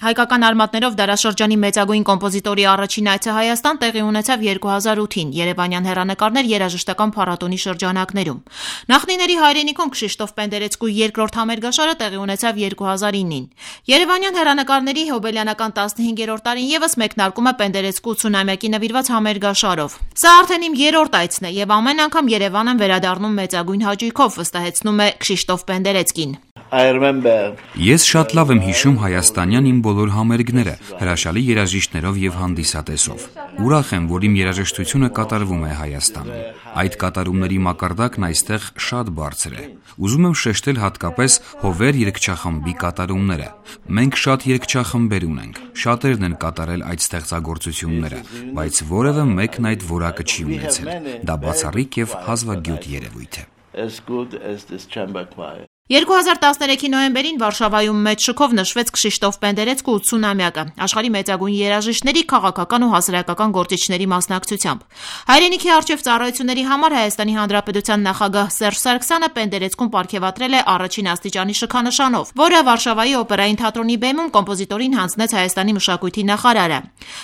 Հայկական արմատներով դարաշրջանի մեծագույն կոմպոզիտորի առաջին այցը Հայաստան տեղի ունեցավ 2008-ին Երևանյան հեռանկարներ երաժշտական փառատոնի շրջանակներում։ Նախնիների հայրենիքում Քշիշտոֆ Պենդերեցկու երկրորդ համերգաշարը տեղի ունեցավ 2009-ին։ Երևանյան հեռանկարների հոբելյանական 15-րդ տարին ևս մեկնարկում է Պենդերեցկու 80-ամյակի նվիրված համերգաշարով։ Սա արդեն իմ երրորդ այցն է եւ ամեն անգամ Երևան եմ վերադառնում մեծագույն հաճույքով, վստահեցնում է Քշիշտոֆ Պենդերեցկին։ Ես շատ լավ եմ հիշում հայաստանյան իմ բոլոր համերգները, հրաշալի երաժիշտներով եւ հանդիսատեսով։ Ուրախ եմ, որ իմ երաժշտությունը կատարվում է Հայաստանում։ Այդ կատարումների մակարդակն այստեղ շատ բարձր է։ Ուզում եմ շեշտել հատկապես Հովեր երգչախմբի կատարումները։ Մենք շատ երգչախմբեր ունենք, շատերն են կատարել այդ ստեղծագործությունները, բայց որևէ մեկն այդ որակը չի ունեցել։ Դա բացառիկ եւ հազվագյուտ երևույթ է։ 2013-ի նոյեմբերին Վարշավայում մեծ շքով նշվեց Քշիշտոֆ Պենդերեցկու 80-ամյակը աշխարհի մեծագույն երաժիշտների, քաղաքական ու հասարակական գործիչների մասնակցությամբ։ Հայրենիքի առջև ծառայությունների համար Հայաստանի Հանրապետության նախագահ Սերժ Սարգսյանը Պենդերեցկուն պարգևատրել է առաջին աստիճանի շքանշանով, որը Վարշավայի օպերային թատրոնի բեմում կոմպոզիտորին հանձնեց Հայաստանի մշակույթի նախարարը։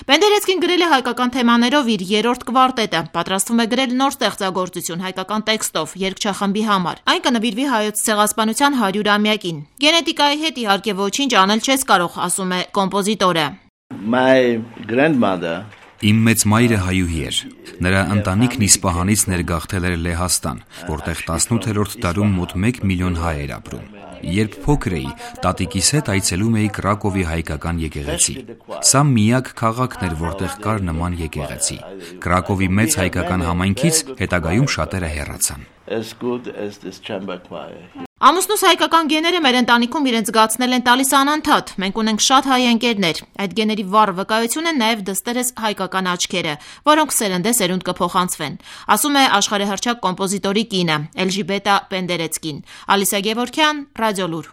Պենդերեցկին գրել է հայկական թեմաներով իր երրորդ կվարտետը, պատրաստվում է գրել նոր ստեղծագործություն հայկական տեքստով երգչախմբի համար։ Այն կնվիրվի հայոց ցեղասպանության 100-ամյակին։ Գենետիկայի հետ իհարկե ոչինչ անել չես կարող, ասում է կոմպոզիտորը։ Իմ մեծ մայրը հայուհի էր։ Նրա ընտանիքն Իսպահանից ներգաղթել էր Լեհաստան, որտեղ 18-րդ դարում մոտ 1 միլիոն հայ էր ապրում։ Երբ փոքր էի, տատիկիս հետ այցելում էի Կրակովի հայկական եկեղեցի։ Սա միակ քաղաքն էր, որտեղ կար նման եկեղեցի։ Կրակովի մեծ հայկական համայնքից հետագայում շատերը հեռացան։ Ամուսնուս հայկական գեները մեր ընտանիքում իրենց զգացնել են տալիս անընդհատ։ Մենք ունենք շատ հայ ընկերներ։ Այդ գեների վառ վկայություն են նաև դստերս հայկական աչքերը, որոնք սերնդեսերունդ կփոխանցվեն, ասում է աշխարհահռչակ կոմպոզիտորի կինը Էլժիբետա Պենդերեցկին։ Ալիսա Գևորգյան, Ռադիոլուր։